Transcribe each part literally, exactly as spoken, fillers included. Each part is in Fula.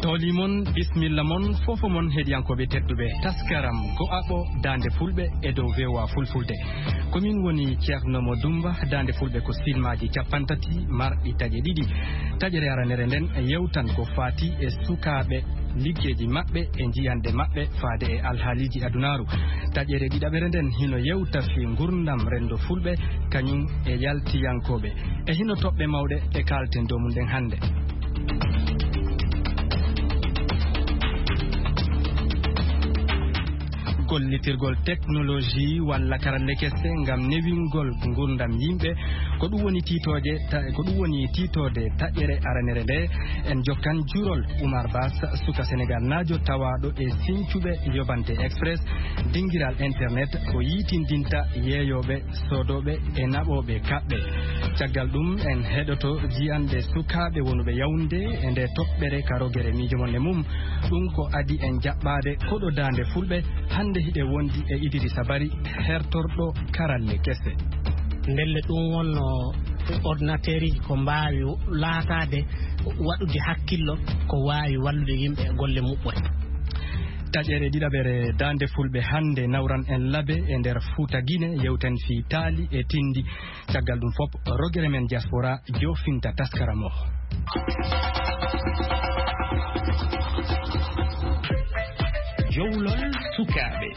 Holi mon, bismilla mon, fofo mon heɗiyankooɓe tedduɓe. Taskaram go'aɓo Daande Fulɓe e dow V O A Fulfulde. Ko min woni Ceerno Mo Dumba. Daande Fulɓe ko silmaaji cappanɗe tati marɗi taƴe ɗiɗi. Taƴere aranere nden yewtan ko faati e sukaaɓe, liggeeji maɓɓe e njiyanɗe maɓɓe faade e alhaaliiji adunaaru. Taƴere ɗiɗaɓere nden hino yewta fii ngurndam renndo Fulɓe, kañum e yaltiyankooɓe. E hino toɓɓe mawɗe ɗe kaalten dow mum ɗen hannde. Gollitirgol teknoloji walla karalle kese ngam newingol ngurndam yimɓe, ko ɗum woni tiitooje ta-, ko ɗum woni tiitoode taƴere aranere nde. En jokkan jurol Umar Bas, suka Senegal naajo tawaaɗo e sincuɓe Yobante Express, dingiral internet ko yiitindinta yeeyooɓe, soodooɓe e naɓooɓe kaɓɓe. Caggal ɗum, en heɗoto jiyanɗe sukaaɓe wonuɓe Yaoundé e nde toɓɓere ka rogere miijo mon e mum. Ɗum ko adi en jaɓɓaade koɗo Daande Fulɓe. Hannde hiɗe wondi e Idrissa Bari, hertorɗo karalle kese. Ndelle ɗum wonno ordinateeriji ko mbaawi laataade waɗude hakkillo, ko waawi wallude yimɓe e golle muɓɓen. Taƴere ɗiɗaɓere Daande Fulɓe hannde nawran en labe e nder Fuuta Gine, yewten fii taali e tindi. Caggal ɗum fop, rogere men diaspora joofinta taskaram o. Jowlol sukaaɓe.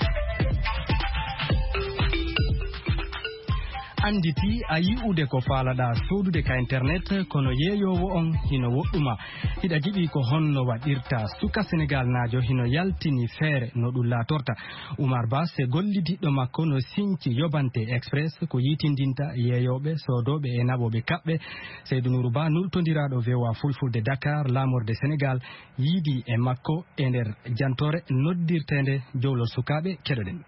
Annditi a yi'ude ko faalaɗaa soodude ka internet, kono yeeyoowo on hino woɗɗuma. Hiɗa jiɗi ko honno waɗirta? Suka Senegal naajo hino yaltini feere no ɗum laatorta. Umar Bas e gollidiɗɗo makko no sinci Yobante Express ko yiitindinta yeeyooɓe, soodooɓe e naɓooɓe kaɓɓe. Seydou Nourou Ba, nultondiraaɗo V O A Fulfulde Dakar, laamorde Senegal, yiidi e makko e nder jantoore noddirteende Jowlol Sukaaɓe. Keɗoɗen.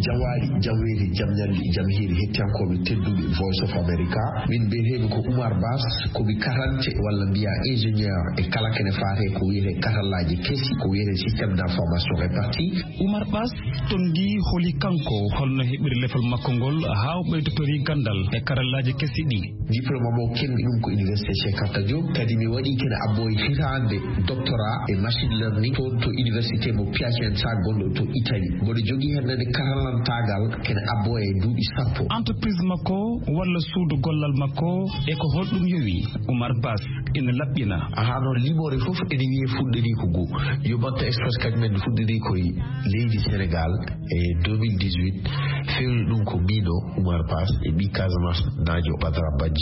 Jawaali, jam weeli, jam ñalli, jam hiiri, hettiyankooɓe tedduɓe Voice of America. Min mbiyeteemi ko Oumar Bass, ko mi karante walla mbiya ingénieur e kala kene faate ko wiyete karallaaji kesi, ko wiyete système d'information réparti. Oumar Bass, toon ndi holi kanko, holno heɓiri lefol makko ngol haa o ɓeydotori ganndal e karallaaji kesi ɗi? Diplôme am o keɓmi ɗum ko Université Cheikh Anta Diop, kadi mi waɗi kene abbo e hitaande doctorat e machine learning toon to Université mo Piacenza gonɗo to Italie. Mboɗo jogii heen nde karallantaagal kene abbo e duuɓi sappo. Entreprise makko walla suudu gollal makko e ko holɗum yowi? Oumar Bass ina laɓɓina. Ahaa, noon limoore fof ene wiyee fuɗɗori ko goo. Yobanta Express kañum en fuɗɗori ko e leydi Sénégal e deux mille dix-huit. Fewni ɗum ko miin o Oumar Bass e ɓii Casamance naajo Badara Badji.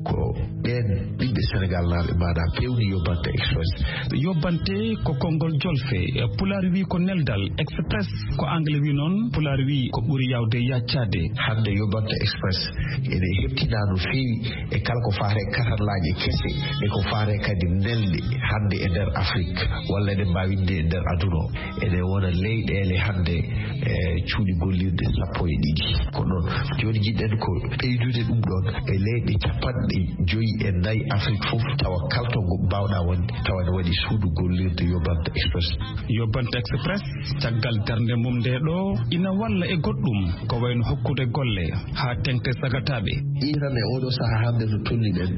Ko ɓeen ɓiɓɓe Senegal naaɓe maanaa peewni Yobante Express. Yobante ko konngol jolfe, Pulaar wii ko neldal, Express ko Angle wii noon, Pulaar wii ko ɓuri yaawde yaccaade. Hannde Yobante Express ene heɓtinaa no feewi e kala ko faare karallaaji kese e ko faare kadi nelde hannde e nder Afrik walla eɗen mbaawi wiide e nder aduna o. Ene wona leyɗeele hannde e cuuɗi gollirɗe sappo e ɗiɗi. Ko noon, jooni njiɗɗen ko ɓeydude ɗum ɗoon e leyɗe capanɗe joyi e nayi Afrik fof, tawa kala to ngo mbaawɗaa wonde, tawa ene waɗi suudu gollirde Yobanta Express. Yobanta Express, caggal darnde mum nde ɗo, ina walla e goɗɗum, ko wayno hokkude golle haa teŋti sagataaɓe. Iran e oɗo sahaa hannde to tolniɗen,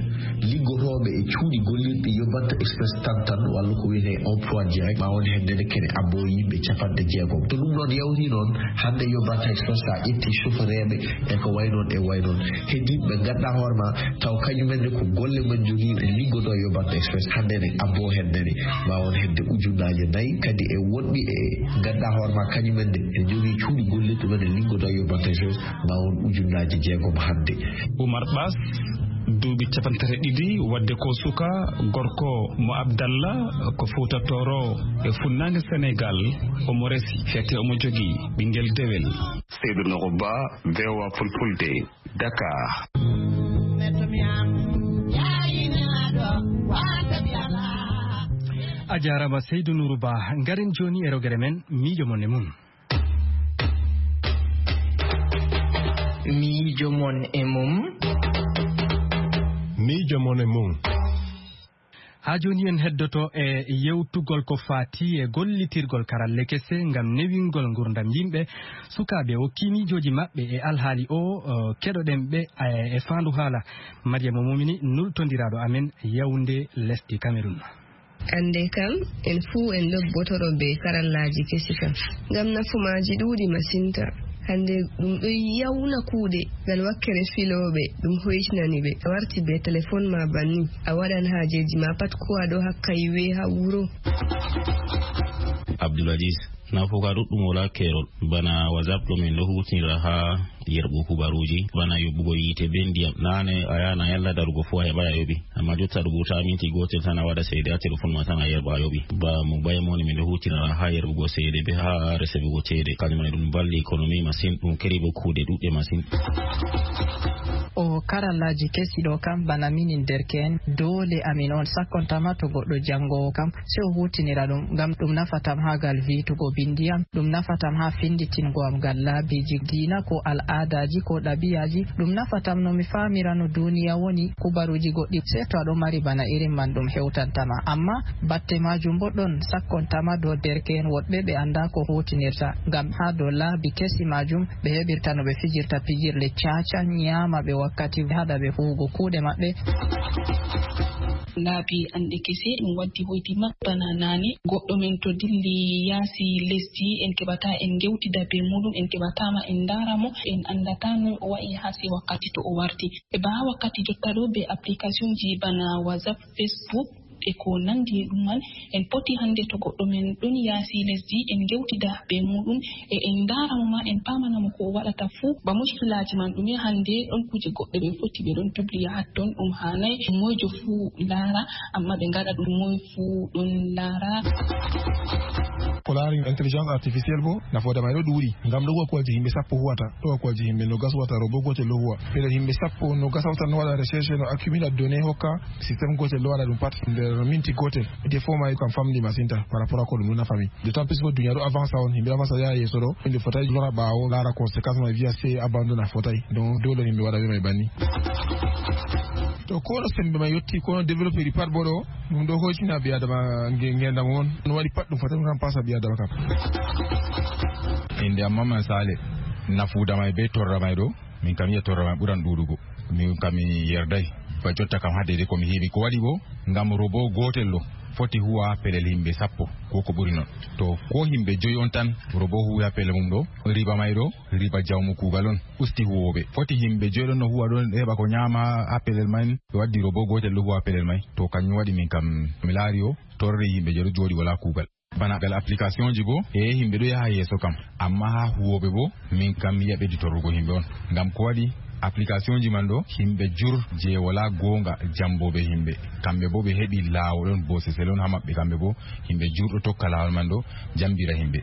liggotooɓe e cuuɗi gollirɗi Yobanta Express tan tan, walla ko wiyetee emploi direct, ma won heen nene kene abbo yimɓe capanɗe jeegom. To ɗum ɗoon yawti noon, hannde Yobanta Express, so a ƴetti chauffeureeɓe e ko way noon e way noon, heddiiɓe ɓe ngannduɗaa hoore ma, taw kañum en ne ko golle men njogii, ɓe liggotoo Yobanta Express, hannde ne abbo heen nene, ma won hedde ujunnaaje nayi, kadi e wonɓe e ngannduɗaa hoore ma, kañum en ne ɓe njogii cuuɗi gollirɗi, ɓe liggotoo Yobanta Express, ma won ujunnaaje jeegom hannde. Oumar Bass, duuɓi capanɗe tati e ɗiɗi, waɗde ko suka gorko mo Abdallah, ko Fuuta Tooro e funnaange Senegal. Omo resi, fete omo jogii ɓinngel dewel. Seydou Nourou Ba, V O A Fulfulde, Dakar. A jaaraama Seydou Nourou Ba. Ngaren jooni e rogere men, miijo mon e mum. Miijo mon e mum. Miijo mon e mum. Haa jooni en heddoto e yewtugol ko faati e gollitirgol karalle kese ngam newingol ngurdam yimɓe, sukaaɓe o kiimiijooji maɓɓe e alhaali o, o, keɗoɗen ɓe, e, e faandu haala. Mariama Momini, nultondiraaɗo amen Yaoundé, lesdi Cameroun. Annde kam, en fuu en ɗobbotoro be karallaaji kesi kam, ngam nafu maaji ɗuuɗi masinta. Hannde ɗum ɗo yawna kuuɗe, ngal wakkere filooɓe, ɗum hoytinani ɓe. A warti be telefon ma banni, a waɗan haajeeji ma pat ko a ɗo hakka iwe haa wuro. Abdul Aziz, nafuka ɗuɗɗum wala keerol. Bana WhatsApp ɗo min ɗo hutinira haa yerɓu kubaruuji, bana yoɓugo yiite be ndiyam. Naane a yahan a yalla darugo fuu a heɓaay a yoɓi. Amma jotta ɗo buta minti gootel tan a waɗa seede haa telefon ma tan a yerɓa a yoɓi. Ba mo baya moni min ɗo hutinira haa yerɓugo seede be haa resebugo ceede. Kanjum man ɗum valli economy masin, ɗum keri bo kuuɗe ɗuɗɗe masin. O karallaaji kesi ɗo kam bana minin derke'en, doole amin on sakkontama to goɗɗo janngoowo kam, sey o huutinira ɗum, ngam ɗum nafatam haa gal viitugo bindi am, ɗum nafatam haa finnditingo am gal laabiiji diina ko al'aadaaji ko ɗabi'aaji, ɗum nafatam no mi faamira no duuniya woni, kubaruuji goɗɗi, sey to a ɗo mari bana irin man ɗum hewtantama. Amma batte maajum bo ɗon sakkontama dow derke'en woɗɓe ɓe anndaa ko huutinirta, ngam haa dow laabi kesi maajum ɓe heɓirta no ɓe fijirta pijirle caaca, nyaama ɓe wakkati, haɗa ɓe huugo kuuɗe maɓɓe. Laabi anɗe kese ɗum waddi hoytima bana naane. Goɗɗo men to dilli yaasi lesdi, en keɓata en ngewtida be muɗum, en keɓata ma en ndaara mo, en anndata noy o wa'i haa sey wakkati to o warti. E ba haa wakkati jotta ɗo be applicationji bana WhatsApp, Facebook, e ko nanndi e ɗum man, en poti hannde to goɗɗo men ɗon yaasi lesdi, en ngewtida be muɗum, e en ndaara mo ma, en paamana mo ko o waɗata fuu. Ba muskilaaji man ɗume hannde, ɗon kuuje goɗɗe ɓe foti ɓe ɗon publiya hatton, ɗum haanay moyjo fuu laara, amma ɓe ngaɗa ɗum moy fuu ɗon laara. Ko laari intelligence artificielle bo, nafoore may ɗo ɗuuɗi, ngam ɗo huwa kuwalji yimɓe sappo huwata, ɗo huwa kuwalji yimɓe nogas huwata, robo gootel ɗo huwa. Pelel yimɓe sappo nogas hawtan no waɗa recherche, no accumula données, hokka système gootel ɗo waɗa ɗum pat nder minti gootel. Défaut may kam famɗi masin ta par rapport à ko ɗum ɗo nafa min. D'autant plus ko duniya ɗo avance on, yimɓe avance yaha yeeso ɗo, yimɓe fotay lora ɓaawo, laara conséquence may, wiya sey abandon a fotay. Donc doole yimɓe waɗa ɓe may banni. To kono sembe may yotti, kono développé ɗi pat bo ɗo, ɗum ɗo hoytina ɓi adama nge-, ngendam on. No waɗi pat ɗum fotay ɗum tan pasa ɓi adama kam. Innde am Mamman Sale, nafuuda may be torra may ɗo, min kam yiya torra may ɓuran ɗuuɗugo. Min kam mi yerday. Ba jotta kam haa deydey ko mi heɓi. Ko waɗi bo, ngam robo gootel ɗo foti huwa pelel yimɓe sappo, ko ko ɓuri non. To ko yimɓe joyi on tan, robo huwi haa pelel mum ɗo, riba may ɗo, riba jawmu kuugal on, usti huwooɓe. Foti yimɓe joyi ɗon no huwa ɗon, heɓa ko nyaama haa pelel may, ɓe waddi robo gootel ɗo huwa pelel may. To kanjum waɗi min kam mi laari o, torri yimɓe joyi ɗo jooɗi wala kuugal. Bana gal applicationji bo, e yimɓe ɗo yaha yeeso kam. Amma haa huwooɓe bo, min kam mi yi'a ɓeddi torrugo yimɓe on. Ngam ko waɗi applicationji man ɗo, yimɓe jur je wala goonga jambooɓe yimɓe. Kamɓe bo ɓe heɓi laawol on, bosesel on haa maɓɓe kamɓe bo. Yimɓe jur ɗo tokka laawol man ɗo, jambira yimɓe.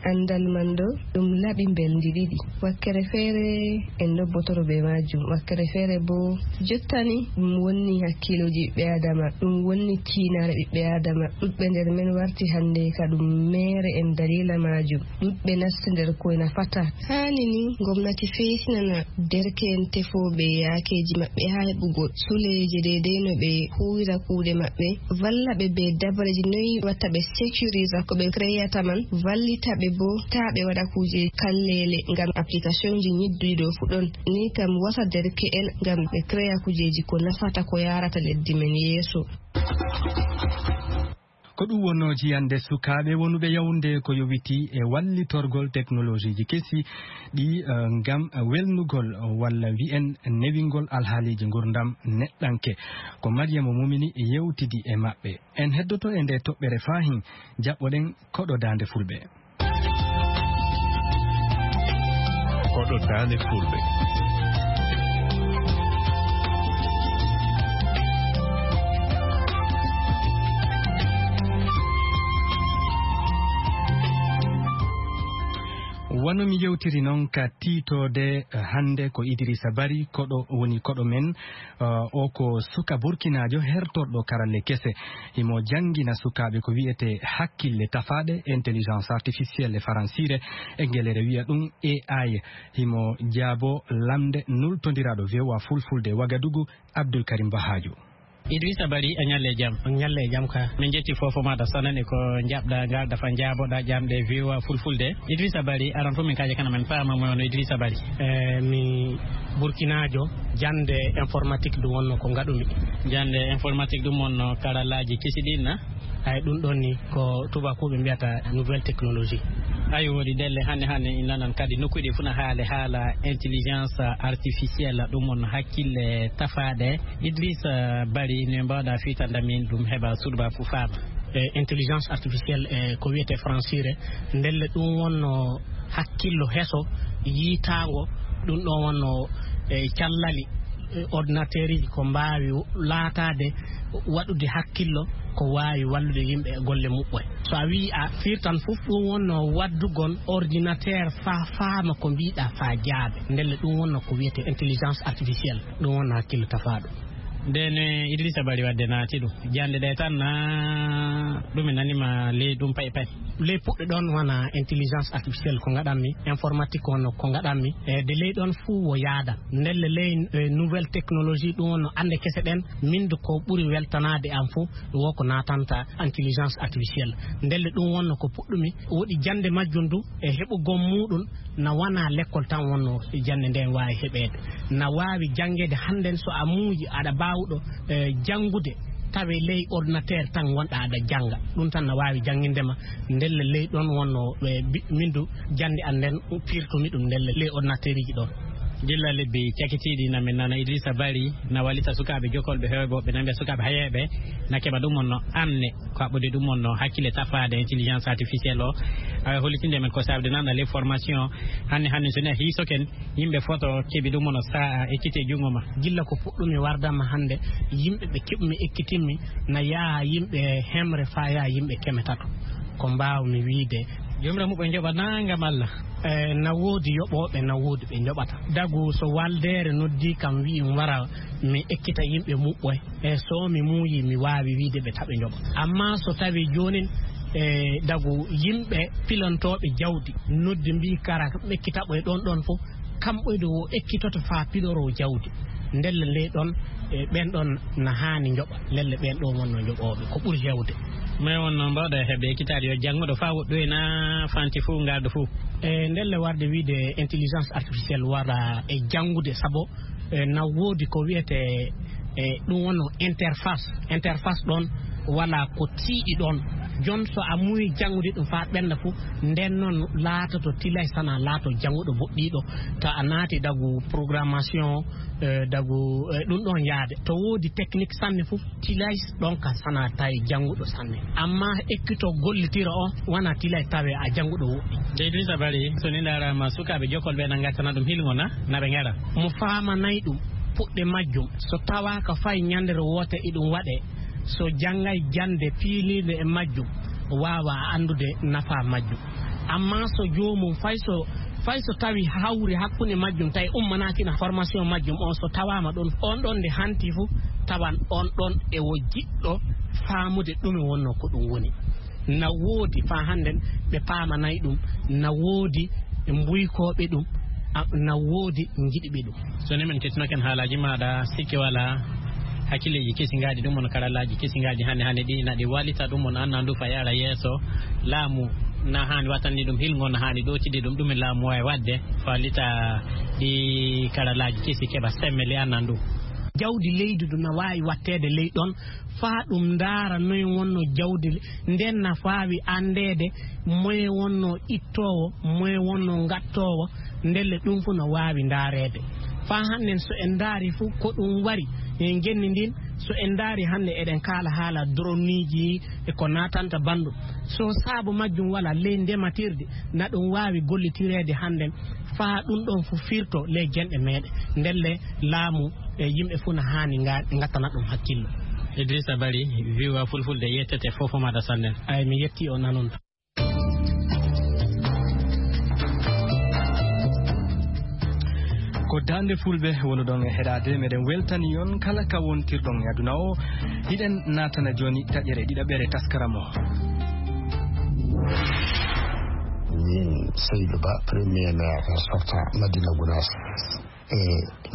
Anndal man ɗo, ɗum laaɓi mbelndi ɗiɗi. Wakkere feere en ɗobbotoro be maajum. Wakkere feere bo jottani ɗum wonni hakkiilooji ɓiɓɓe Aadama. Ɗum wonni tiinaare ɓiɓɓe Aadama. Ɗuɗɓe nder men warti hannde ka ɗum meere en daliila maajum. Ɗuɗɓe nasti nder koy nafata. Haani ni ngomnati feesinana derke'en tefooɓe yaakeeji maɓɓe haa heɓugo suleeje deydey no ɓe huuwira kuuɗe maɓɓe. Valla ɓe be dabreji noy watta ɓe sécurisa ko ɓe créata man. Vallita ɓe bo taa ɓe waɗa kuuje kalleele ngam applicationji nyidduɗi ɗo fu ɗon. Ni kam wasa derke'en ngam ɓe créa kujeji ko nafata ko yaarata leddi men yeeso. Ko ɗum wonnoo jiyannde sukaaɓe wonuɓe Yaoundé ko yowiti e wallitorgol teknolojiiji kesi ɗi, eh, ngam welnugol walla wi'en newingol alhaaliiji ngurdam neɗɗanke. Ko Mariama Momini yewtidi e maɓɓe. En heddoto e nde toɓɓere faahin, jaɓɓoɗen koɗo daande fulɓe. Koɗo daande fulɓe. Wano mi yewtiri noon ka tiitoode, eh, hannde ko Idrissa Bari, koɗo woni koɗo men. Eh, o ko suka burkinaajo hertorɗo karalle kese. Himo janngina sukaaɓe ko wi'etee hakkille tafaaɗe, intelligence artificielle e faransiire, e ngelere wi'a ɗum A I. Himo jaabo lamnde nultondiraaɗo V O A Fulfulde Wagadugu, Abdul Karim Bahaajo. Idrissa Bari, a ñalle e jam. On ñalle e jam ka. Min jetti fofo maɗa, sanani ko jaɓɗa ngal dafa jaaboɗa ƴamɗe viwa fulfulde. Idrissa Bari, aran fof min kaaje kana men paama mo no Idrissa Bari. E mi burkinaajo, jannde informatique ɗum wonno ko ngaɗumi. Jannde informatique ɗum wonno karallaaji kesi ɗin na? Ay, ɗum ɗon ni ko tubakuɓe mbiyata nouvelle technologie. Ayi, woodi ɗelle hannde hannde in nanan kadi nokkuuji ɗi funa haale haala intelligence artificielle, ɗum won hakkille tafaaɗe. Idrissa Bari, no mbawɗa fitande min ɗum heɓa suuɗba fu faama? E intelligence artificielle, e ko wiyete francire, ndelle ɗum wonno hakkillo heso yiitaango, ɗum ɗon wonno e callali, e ordinateur uji ko mbaawi laataade waɗude hakkillo ko waawi wallude yimɓe e golle muɓɓoye. So a wii a firtan fof, ɗum wonno waddugol ordinateur faa faama ko mbiiɗa faa jaabe. Ndelle ɗum wonno ko wiyete intelligence artificielle, ɗum wonno hakkillo tafaaɗo. Nden eh, Idrissa Bari wadde naati ɗum. Jannde ɗe tan na ɗum e nanima ley ɗum pay pay. Ley puɗɗe ɗon wona intelligence artificielle ko ngaɗanmi, informatique on ko ngaɗanmi. E de ley ɗon fuu wo yaada. Ndelle ley eh, nouvelle technologie ɗum wonno annde kese ɗen, min de ko ɓuri weltanaade am fuu, wo ko naatanta intelligence artificielle. Ndelle ɗum wonno ko puɗɗumi, woɗi jannde majjum du, e heɓugol muuɗum, na wona lekkol tan wonno jannde nden waawi heɓeede. Na waawi janngeede hannden so a muuyi aɗa baawɗo, eh, janngude, tawe ley ordinateur tan wonɗa aɗa jannga. Ɗum tan na waawi jannginde ma. Ndelle ley ɗon wonno, eh, bi-, min du jannde an nden pirtumi ɗum ndelle ley ordinateur uji ɗon. Gilla lebbi cakitiiɗi na min nana Idrissa Bari na wallita sukaaɓe jokolɓe heewɓe, woɓɓe na mbiya sukaaɓe hayeeɓe na keɓa ɗum wonno anne ko haɓɓude ɗum wonno hakkille tafaade intelligence artificielle o. Awa hollitinde men ko saabude nan ɗa les formations hannde hannde so ne hiisoken yimɓe foto keɓi ɗum wonno sa'a ekkite junngo ma. Gilla ko puɗɗumi wardama hannde, yimɓe ɓe keɓmi ekkitinmi na yaha yimɓe hemre faa yaha yimɓe keme tato. Ko mbaawmi wiide. Jomira muɓɓo njoɓa nangam Allah. E, na woodi yoɓooɓe, na woodi ɓe njoɓata. Dagu so waldeere noddi kam wi'i mi wara mi ekkita yimɓe muɓɓoy. E, so mi muuyi mi waawi wiide ɓe taɓe njoɓa. Amma so tawi joonin, e, dagu yimɓe pilantooɓe jawdi noddi mbi'i kara ɓe ekkita ɓoy ɗon ɗon fof, kamɓoyde wo ekkitoto faa piloroo jawdi. Ndelle ley ɗon, e, ɓen ɗon na haani njoɓa. Lelle ɓen ɗon wonno njoɓooɓe. Ko ɓuri heewde. Mais wonno mbawɗa heɓde ekkitaade yo jannguɗo faa woɗɗoy na fanti fof ngardo fof. E ndelle warde wiide intelligence artificielle wara e janngude, sabu, e, na woodi ko wiyete, e, ɗum wonno interface. Interface ɗon wala ko tiiɗi ɗon. Jon so a muuyi janngude ɗum faa ɓennda fof, nden noon laatoto tilay sana laato jannguɗo boɗɗiiɗo. To a naati dagu programmation, e, dagu, e, ɗum ɗon yaade. To woodi technique sanne fof, tilay ɗon ka sana tawi jannguɗo sanne. Amma ekkito gollitira o, wana tilay tawe a jannguɗo woɗɗi. De Idrissa Bari, so ni ndaarama sukaaɓe jokol ɓe na ngattana ɗum hilngo na, na ɓe ngara. Mo faamanay ɗum, puɗɗe majjum, so tawaaka fay ñandere woote iɗum waɗe, so janngay jannde piilirde e majjum, waawa anndude nafa majjum. Amma so joomum fay so, fay so tawi hawri hakkunde majjum, tawi ummanaakina formation majjum on, so tawaama ɗon, on ɗon nde hanti fof, tawan on ɗon e wo jiɗɗo faamude ɗume wonno ko ɗum woni. Na woodi faa hannden ɓe paamanay ɗum, na woodi ɓe mbuykooɓe ɗum, a, na woodi njiɗiɓe ɗum. So ni min kettinoken haalaaji maaɗa, sikke walaa, hakkilleeji kesi ngaadi ɗum on, karallaaji kesi ngaadi hannde hannde ɗi, na ɗi wallita ɗum on, annandu fa yaara yeeso. Laamu na haani wattande ɗum hilngo, na haani ɗootide ɗum, ɗum e laamu waawi waɗde, fa wallita ɗi karallaaji kesi keɓa semmbe le annandu. Jawdi leydi du na waawi watteede ley ɗon, faa ɗum ndaara noye wonno jawdi le-, nden na faawi anndeede moye wonno ittoowo, moye wonno ngattoowo, ndelle ɗum fof no waawi ndaareede. Faa hannden so en ndaari fof ko ɗum wari e ngenndi ndin, so en ndaari hannde eɗen kaala haala droneiji e ko naatanta banndum. So saabu majjum wala ley ndematirde, na ɗum waawi gollitireede hannden faa ɗum ɗon fof firto ley genɗe meeɗen. Ndelle laamu e yimɓe fof na haani nga-, ngattana ɗum hakkillo. Idrissa Bari, viwa fulfulde yettete fof maɗa sanne. Ay, mi yetti o nanon. Ko Daande Fulɓe wonuɗon e heɗaade, meɗen weltani on kala ka wontirɗon e aduna o. Hiɗen naatana jooni taƴere ɗiɗaɓere taskaram o. Min Seydou Ba, premier maire sortant Madina Gounass. E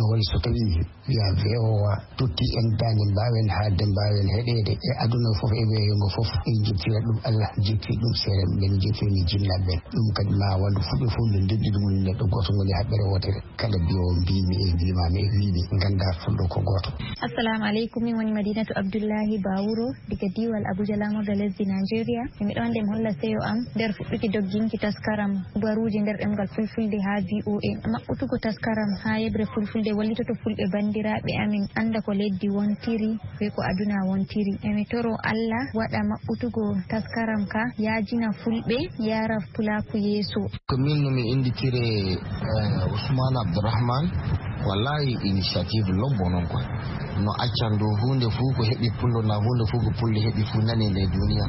No woni so tawii wiya V O A totti en daande mbaawen haalde, mbaawen heɗeede e aduna fof e weeyo ngo fof. En njettira ɗum Allah, jetti ɗum seeɗa, men njettiri jinnaaɓe ɓen. Ɗum kadi ma wonde fuɗɗo fof nde ndenɗi ɗum woni neɗɗo gooto ngoni haɓɓere wootere. Kala mbiyo mbimi e mbimami e mbimi ngannda fulɗo ko gooto. Assalamu aleykum, min woni Madinatu Abdullahi Bawuro diga diiwal Abuja, laamorɗo lesdi Nigeria. Emi ɗon nde mi holla seyo am nder fuɗɗuki dogginki taskaram kubaruuji nder ɗemngal Fulfulde haa V O A. Maɓɓutugo taskaram haa yeɓre Fulfulde wallitoto Fulɓe banndiraaɓe amin annda ko lesdi wontiri bee ko aduna wontiri. Emi toro Allah waɗa maɓɓutugo taskaram ka yaajina Fulɓe, yara Pulaaku yeeso. Ko min no mi innditire, eh, Ousmane Abdourahmane. Wallahi initiative lobbo noon koy. No accan dow huunde fuu ko heɓi pullo na huunde fuu ko pullo heɓi fuu nane e nder duniya.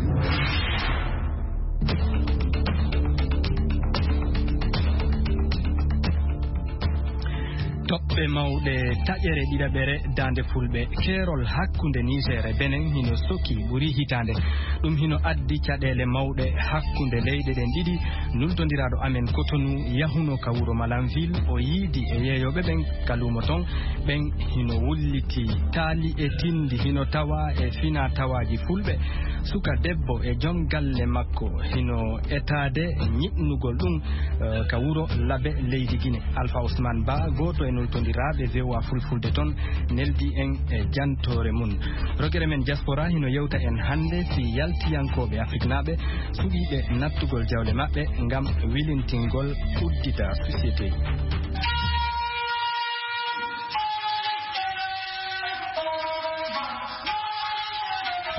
Toɓɓe mawɗe taƴere ɗiɗaɓere daande Fulɓe. Keerol hakkunde Niger e Benin hino soki ɓuri hitaande. Ɗum hino addi caɗeele mawɗe hakkunde leyɗe ɗen ɗiɗi. Nultondiraaɗo amen Cotonou yahuno ka wuro Malanville, o yiidi e yeeyooɓe ɓen ka luumo ton. Ɓen hino wulliti taali e tindi, hino tawa e fina tawaaji Fulɓe. Suka debbo e jom galle makko hino etaade ñiɓnugol ɗum, eh, ka wuro Labe, leydi Gine. Alpha Ousmane Ba, gooto e nultondiraaɓe V O A Fulfulde ton, neldi en e jantoore mun. Rogere men diaspora hino yewta en hannde si yaltiyankooɓe Afriknaaɓe suɓiiɓe nattugol jawle maɓɓe ngam wilintingol uddita société.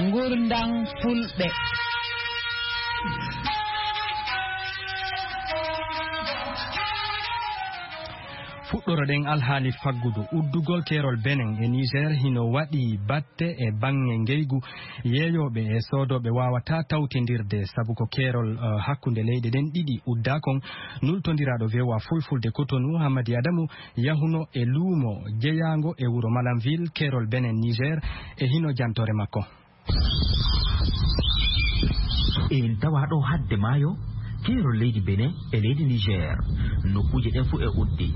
Ngurndan Fulɓe. Fuɗɗoroɗen alhaali faggudu. Uddugol keerol Benin e Niger hino waɗi batte e baŋŋe ngeygu. Yeeyooɓe e soodooɓe waawataa tawtindirde sabu ko keerol, eh, hakkunde leyɗe ɗen ɗiɗi uddaa kon. Nultondiraaɗo V O A Fulfulde Cotonou, Hamadi Adamu, yahuno e luumo jeyaango e wuro Malanville, keerol Benin Niger, e hino jantoore makko. En tawa ɗo hadde maayo, keerol leydi Benin e leydi Niger. Nokkuuje ɗen fuu e uddi.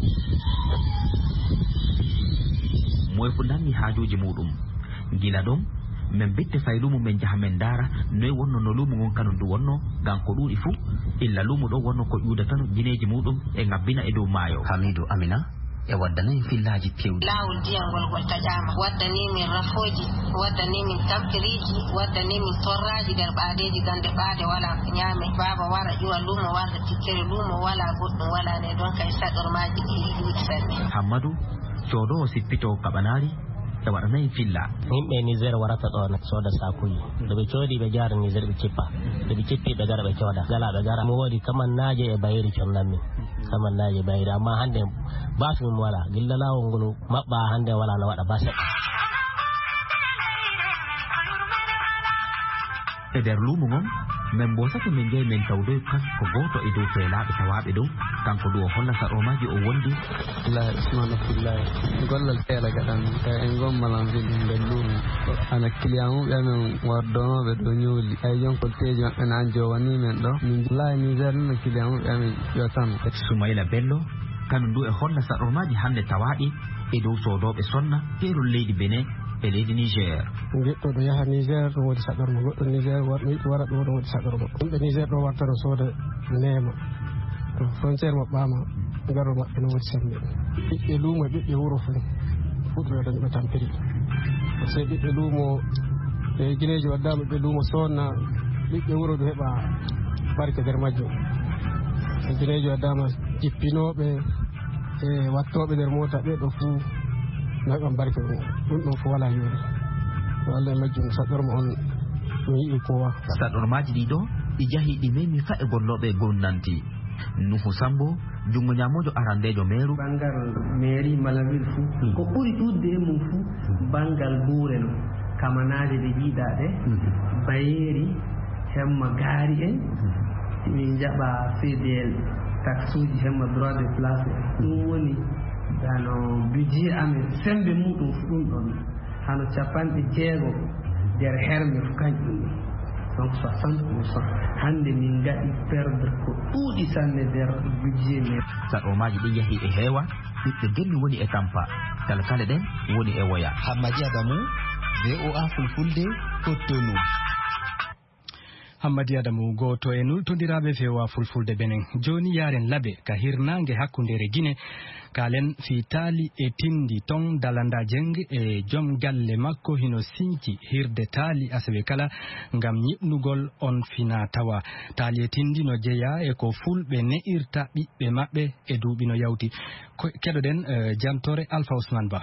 Moye fuu nangi haajuuji muuɗum. Gila ɗon, men bitte fay luumo men njaha men ndaara noy wonno no luumo ngon kanum du wonno, ngam ko ɗuuɗi fuu, illa luumo ɗon wonno ko ƴuuda tan gineeji muuɗum e ngabbina e dow maayo. Hamidu Amina e waddana en fillaaji kewɗi. Laawol ndiyam ngol ngol taƴaama. Waddani min rafooji, waddani min tampiriiji, waddani min torraaji nder ɓaadeeji gannde ɓaade walaa ko ñaame. Baaba wara ƴuwa luumo warda tikkere luumo walaa goɗɗum walaa ne ɗon kay saɗormaaji ɗi ɗuuɗi sanne. Hammadu, coodoowo sippitoowo kaɓanaari, e waɗana en filla. Yimɓe Niger warata ɗo na sooda saakuuji. Nde ɓe coodi ɓe jaara Niger ɓe cippa. Nde ɓe cippi ɓe gara ɓe cooda. Gala ɓe gara. Mo woodi kamannaaje e bayri connammi. Kamannaaje e bayri. Amma hannde baas min wala. Gilla laawol ngol maɓɓa hannde wala no waɗa baas seɗɗa. E nder luumo ngon, men mbosake men njeyi men tawdoy kanko gooto e dow feelaaɓe tawaaɓe ɗo, kanko du o holla saɗormaaji o wondi. Abdullahi Usman Abdullahi, gollal teela gaɗan, tawi en ngon Malanville nder luumo. Ko ana client uɓe amen wardonooɓe ɗo ñooli. Ay jonkol teeji maɓɓe na an jowanii men ɗo. Min Abdullahi Niger na client uɓe amen yo tan. Soumaïla Bello, kanum du e holla saɗormaaji hannde tawaaɗi e dow soodooɓe sonna keerol leydi Benin e leydi Niger. Giɗɗo ɗo yaha Niger, ɗum woodi saɗorma goɗɗo Niger, war-, yiɗi wara ɗo, ɗum woodi saɗorma. Yimɓe Niger ɗo warta no sooda neema. To frontière maɓɓaama, garol maɓɓe no woodi semmbe. Ɓiɓɓe luumo e ɓiɓɓe wuro fof, fuɗɗoɗen ɓe tampiri. Parce que ɓiɓɓe luumo, e gineeji waddaama ɓiɓɓe luumo soonna, ɓiɓɓe wuro ɗum heɓa barke nder majjum. E gineeji waddaama jippinooɓe, e wattooɓe nder moota ɓe ɗo fuu, no heɓan barke ɗum. Ɗum ɗon fof walaa yoori. Ko Allah e majjum saɗɗorma on, mi yi'i kowa. Saɗɗormaaji ɗi ɗo, ɗi jahi ɗi memi fa e gollooɓe gomnanti. Nuhu Sambo, junngo ñaamoojo arandeejo meeru. Banngal meeri Malanville fuu, ko ɓuri ɗuuɗde e mum fuu, banngal buure no, kamanaaje ɗe njiiɗaa ɗe, bayeeri, hemma gaari en, min njaɓa C D L, taxuuji hemma droit de place. Ɗum woni, ano, budget amen, semmbe muuɗum fuu ɗum ɗon. Hano capanɗe jeego nder herme ko kañƴum ɗum. Donc soixante pour cent. Hannde min ngaɗi perdre ko ɗuuɗi sanne nder budget men. Saɗormaaji ɗin yahi e heewa, ɓiɓɓe Gemmi woni e tampa. Kalkale ɗen woni e woya. Hammadi Adamu, V O A Fulfulde, Cotonou. Hammadi Adamu, gooto e nultondiraaɓe V O A Fulfulde Benin. Jooni yaaren Labe ka hirnaange hakkundeere Gine. Kaalen fii taali e tindi ton. Dalanda Jeng e jom galle makko hino sinci hirde taali asewe kala ngam ñiɓnugol on fina tawa. Taali e tindi no jeyaa e ko fulɓe ne'irta ɓiɓɓe maɓɓe e duuɓi no yawti. Ko, keɗoɗen, eh, jantore Alpha Ousmane Ba.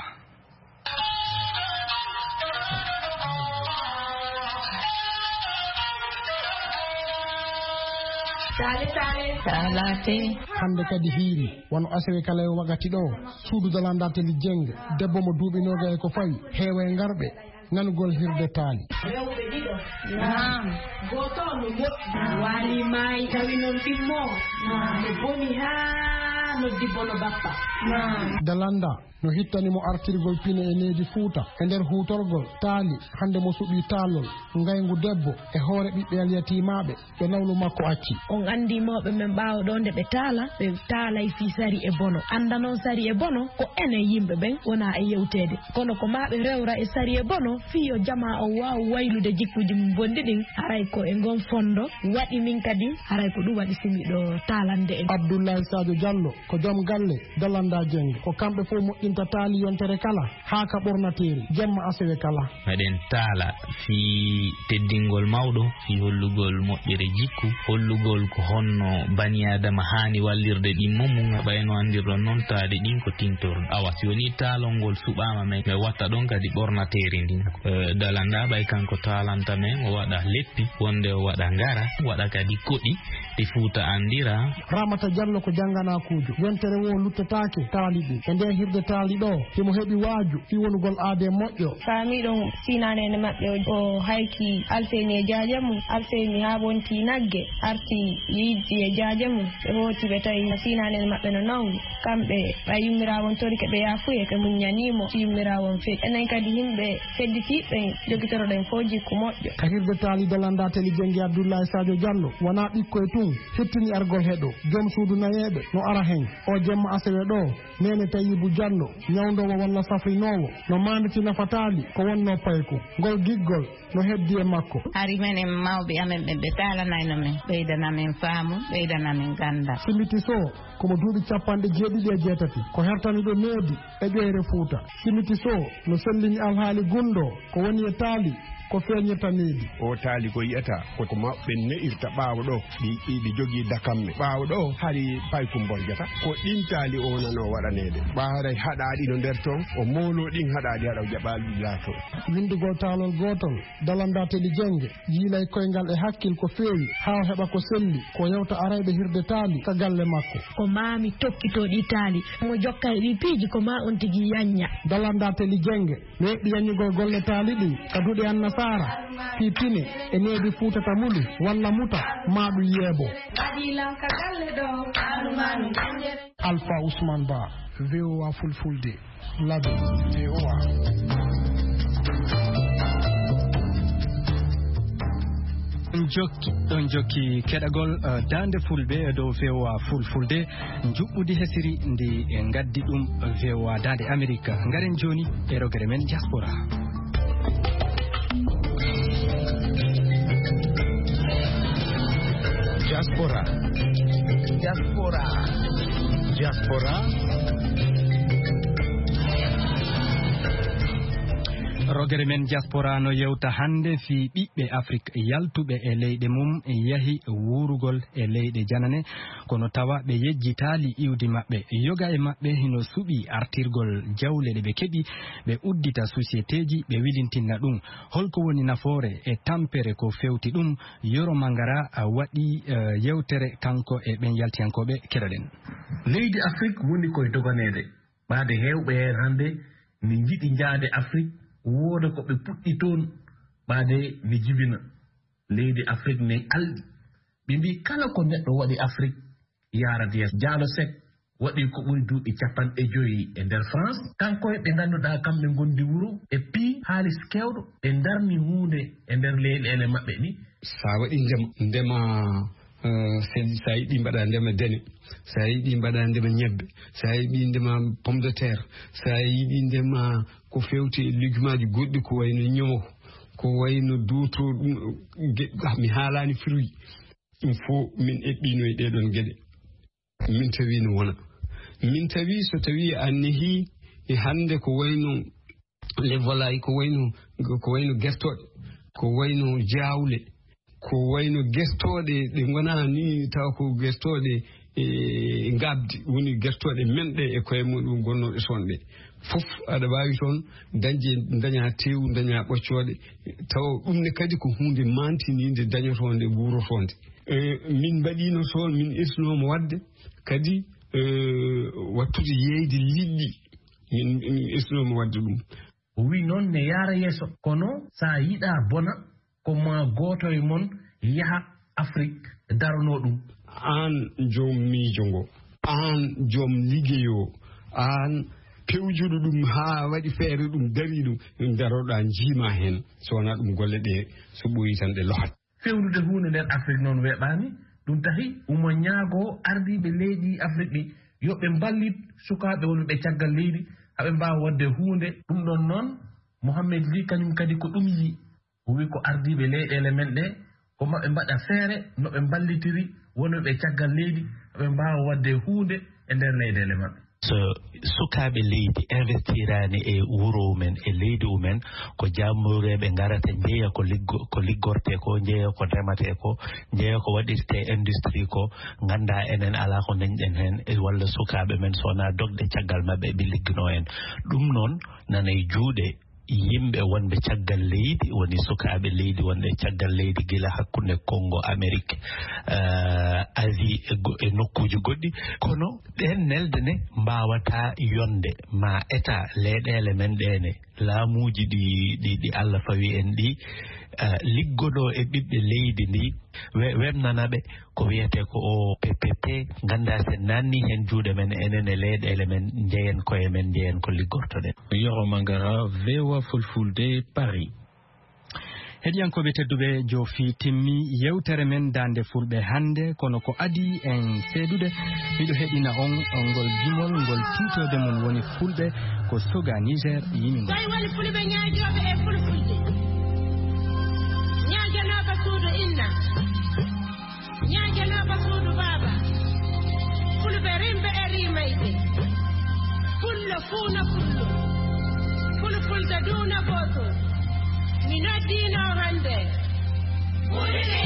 Taale, taale. Taalaate. Hannde kadi hiiri, wano asewe kala e wakati ɗo, suudu Dalanda Teli Jeng, debbo mo duuɓi noogay ko fawi, heewa e ngarɓe, nanugol hirde taali. Rewɓe ɗiɗo. Naam. Gooto on no moƴƴi. Waali maayi, tawi noon ɗimmo. Naam. No boni haa noddi bono bappa. Naam. Dalanda no hittani mo artirgol pine e needi Fuuta e nder huutorgol taali, hannde mo suɓii taalol ngayngu debbo e hoore ɓiɓɓe alyatiimaaɓe ɓe nawlu makko acci. On anndi mawɓe men ɓaawo ɗo nde ɓe taala, ɓe taalay fii sari e bono. Annda noon sari e bono ko enen yimɓe ɓen wonaa e yewteede. Kono ko maa ɓe rewra e sari e bono fii yo jamaa on waaw waylude jikkuuji mum bonɗi ɗin, haray ko e ngon fondo waɗi min kadi, haray ko ɗum waɗi si miɗo taalande en. Abdoulaye Sadio Diallo ko jom galle Dalanda Jeng. Ko kamɓe fof moƴƴinta taali yontere kala, haa ka ɓornateeri, jemma asewe kala. Meɗen taala fii teddingol mawɗo, fii hollugol moƴƴere jikku, hollugol ko honno bani Aadama haani wallirde ɗimmo mum, ɓay no anndirɗon noon taali ɗin ko tintor. Awa, si wonii taalol ngol suɓaama, men, men watta ɗon kadi ɓornateeri ndin. Eh, Dalanda ɓay kanko taalanta men, o waɗa leppi, wonde o waɗa ngara, waɗa kadi koɗi, ɗi Fuuta anndira. Ramata Diallo ko jannganaakuujo. Yontere woo luttetaake taali ɗin. E ndee hirde taali ɗo, himo heɓi waaju fii wonugol aadee moƴƴo. Faamiiɗo siinaneene maɓɓe o, o hayki Alseyni e jaaje mum. Alseyni haa wonti nagge, arti yiɗi e jaaje mum. Ɓe hooti, ɓe tawi siinaneene maɓɓe no nawni. Kamɓe, ɓay yummiraawo on torike ɓe yaafuye, ɓe muññanii mo, si yummiraawo on feƴƴi. Enen kadi yimɓe fedditiiɓe jogitoroɗen fof jikku moƴƴo. Ka hirde taali Dalanda Teli Jeng e Abdoulaye Sadio Diallo, wonaa ɓikkoy tun hettini argol heɗo. Jom suudu nayeeɓe no ara hen. O jemma asewe ɗo, Neene Tayibu Diallo, ñawndoowo walla safrinoowo, no maanditi nafa taali ko wonnoo payku. Ngol giggol no heddi e makko. Hari menen mawɓe amen ɓen ɓe taalanayno men, ɓeydana men faamu, ɓeydana men ganndal. Simiti Soh, ko mo duuɓi cappanɗe jeeɗiɗi e jeetati, ko hertaniiɗo needi e ƴoyre Fuuta. Simiti Soh no sellini alhaali gunndoo ko woni e taali, ko feeñirta needi. O taali ko yi'ata, ko ko mawɓe ne'irta ɓaawo ɗo, ɗi, ɗi, ɗi jogii dakamme. Ɓaawo ɗo, hari paykum borjata, ko ɗin taali o wonanoo waɗaneede. Ɓaawo haray haɗaaɗi no nder toon, o mooloo ɗin haɗaaɗi, haɗa o jaɓaali ɗi laatoo. Winndugol taalol gootol, Dalanda Teli Jeng, yiilay koyngal e hakkil ko feewi, haa o heɓa ko selli, ko yewta arayɓe hirde taali ka galle makko. Ko maa mi toppitoo ɗi taali, mo jokka e ɗi piiji ko maa on tigi yanña. Dalanda Teli Jeng, no eɓɓi yanñugol golle taali ɗin ka duɗe annasaara, fii pine e needi Fuuta ta mulu, walla muta, maa ɗum yeebo. Waɗi lan ka galle ɗo, Alfa Ousmane Ba, V O A Fulfulde, Labe, V O A. Ɗon jokki, ɗon jokki keɗagol, eh, Daande Fulɓe e dow V O A Fulfulde, njuɓɓudi hesiri ndi, eh, ngaddi ɗum V O A Daande Amerik. Ngaren jooni e rogere men diaspora. Diaspora. Diaspora. Diaspora. Rogere men diaspora no yewta hannde fii ɓiɓɓe Afrik yaltuɓe e leyɗe mum yahi wuurugol e leyɗe janane, kono tawa ɓe yejjitaali iwdi maɓɓe. Yoga e maɓɓe hino suɓii artirgol jawle ɗe ɓe keɓi, ɓe uddita sosiyeteeji, ɓe wilintinna ɗum. Holko woni nafoore e tampere ko fewti ɗum? Yoro Mangara, a, waɗi, eh, yewtere kanko e ɓen yaltiyankooɓe, keɗoɗen. Leydi Afrik woni koye doganeede. Ɓaade heewɓe heen hannde ne njiɗi njaade Afrik, wooda ko ɓe puɗɗi toon, ɓaade ne jibina. Leydi Afrik ne alɗi. Ɓe mbii kala ko neɗɗo waɗi Afrik, yaarata yeeso. Diallo Seck waɗi ko ɓuri duuɓi capanɗe joyi e nder France. Kanko e ɓe ngannduɗaa kamɓe ngondi wuro, ɓe pii haalis keewɗo, ɓe ndarni huunde e nder leyɗeele maɓɓe ɗi. So a waɗi ndema, ndema Eh, sen, so a yiɗi mbaɗa ndema dene, so a yiɗi mbaɗa ndema ñebbe, so a yiɗi ndema pomme de terre, so a yiɗi ndema ko fewti e lejumaaji goɗɗi, ko wayno ñomo, ko wayno duuto, ɗum, ge-, ah, mi haalaani fruit. Ɗum fof min eɓɓino e ɗee ɗoon geɗe. Min tawi no wona. Min tawi so tawi a nehi e hannde ko wayno les volailles, ko wayno, ko wayno gertooɗe, ko wayno jaawle, ko wayno gertooɗe ɗe ngonaa ni tawa ko gertooɗe, e, ngaabdi, woni gertooɗe men ɗe e koye muɗum gonnooɗe toon ɗe. Fof aɗa waawi toon dañde, daña teewu, daña ɓoccooɗe, tawa ɗum ne kadi ko huunde maantiniinde dañotoonde, wuurotoonde. E, min mbaɗiino toon, min irsinooma waɗde kadi, e, wattude yeeyde liɗɗi. Min, min irsinooma waɗde ɗum. O wiyi noon ne yaara yeeso, kono so a yiɗaa bona, ko maa gooto e mon yaha Afrik daronoo ɗum. Aan joom miijo ngo, aan joom liggey o, aan pewjuɗo ɗum haa waɗi feere ɗum, darii ɗum, daroɗaa njiima heen, so wonaa ɗum golle ɗe so ɓooyi tan ɗe lohat. Fewnude huunde nder Afrik noon weeɓaani, ɗum tahi omo ñaagoo ardiiɓe leydi Afrik ɗi yo ɓe mballit sukaaɓe wonɓe caggal leydi, haa ɓe mbaawa waɗde huunde. Ɗum ɗoon noon, Mohamed Ly kañum kadi ko ɗum yiyi. O wiyi ko ardiiɓe leyɗeele men ɗe, ko maɓe mbaɗa feere no ɓe mballitiri wonɓe caggal leydi, haa ɓe mbaawa waɗde huunde e nder leyɗeele maɓɓe. So sukaaɓe leydi investiraani e wuro mumen, e leydi mumen, ko jaamureeɓe ngarata, njeeya ko liggo-, ko liggortee ko, njeeya ko ndematee ko, njeeya ko waɗirtee industrie ko, nganndaa enen alaa ko ndañɗen heen, e walla sukaaɓe men, so wonaa dogde caggal maɓɓe, ɓe ligginoo en. Ɗum noon nana e juuɗe yimɓe wonɓe caggal leydi, woni sukaaɓe leydi wonɓe caggal leydi, gila hakkunde Konngo, Amerik, eh, Asie e go-, e nokkuuji goɗɗi. Kono ɗeen nelde ne mbaawataa yonde, ma Etat, leyɗeele men ɗee ne, laamuuji ɗi, ɗi, ɗi Allah fawi en ɗi, eh, liggodoo e ɓiɓɓe leydi ndi, we-, weɓnana ɓe ko wiyetee ko o P P P, nganndaa sen naanni heen juuɗe men, enen e leyɗeele men, njeyen koye men, njeyen ko liggortoɗen. Yoro Mangara, V O A Fulfulde, Paris. Heɗiyankooɓe tedduɓe, joofi timmi yewtere men Daande Fulɓe hannde, kono ko adii en seedude, miɗo heɗina on ngol gimol ngol tiitoode mum woni Fulɓe ko soga Niger yimingol. Tawi woni Fulɓe ñaajooɓe e Fulfulde, ñaajanooɓe suudu inna. Ñaajanooɓe suudu baaba, Fulɓe rimɓe e rimayɓe, Fullo fuuna Fullo, Fulfulde duuna gooto, mi noddiino hannde. Fulɓe.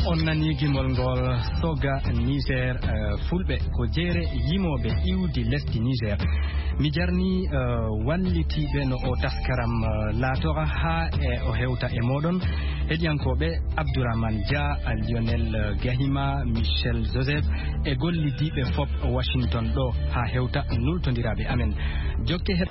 On nani gimol ngol soga Niger, eh, Fulɓe ko jeere yimooɓe iwdi lesdi Niger. Mi jarni, eh, wallitiiɓe no o taskaram, eh, laatora haa e o hewta e mooɗon. Heɗiyankooɓe, Abdourahmane Dia, Lionel, eh, Gahima, Michel Joseph e gollidiiɓe fop Washington ɗo haa hewta nultondiraaɓe amen. Jokke he-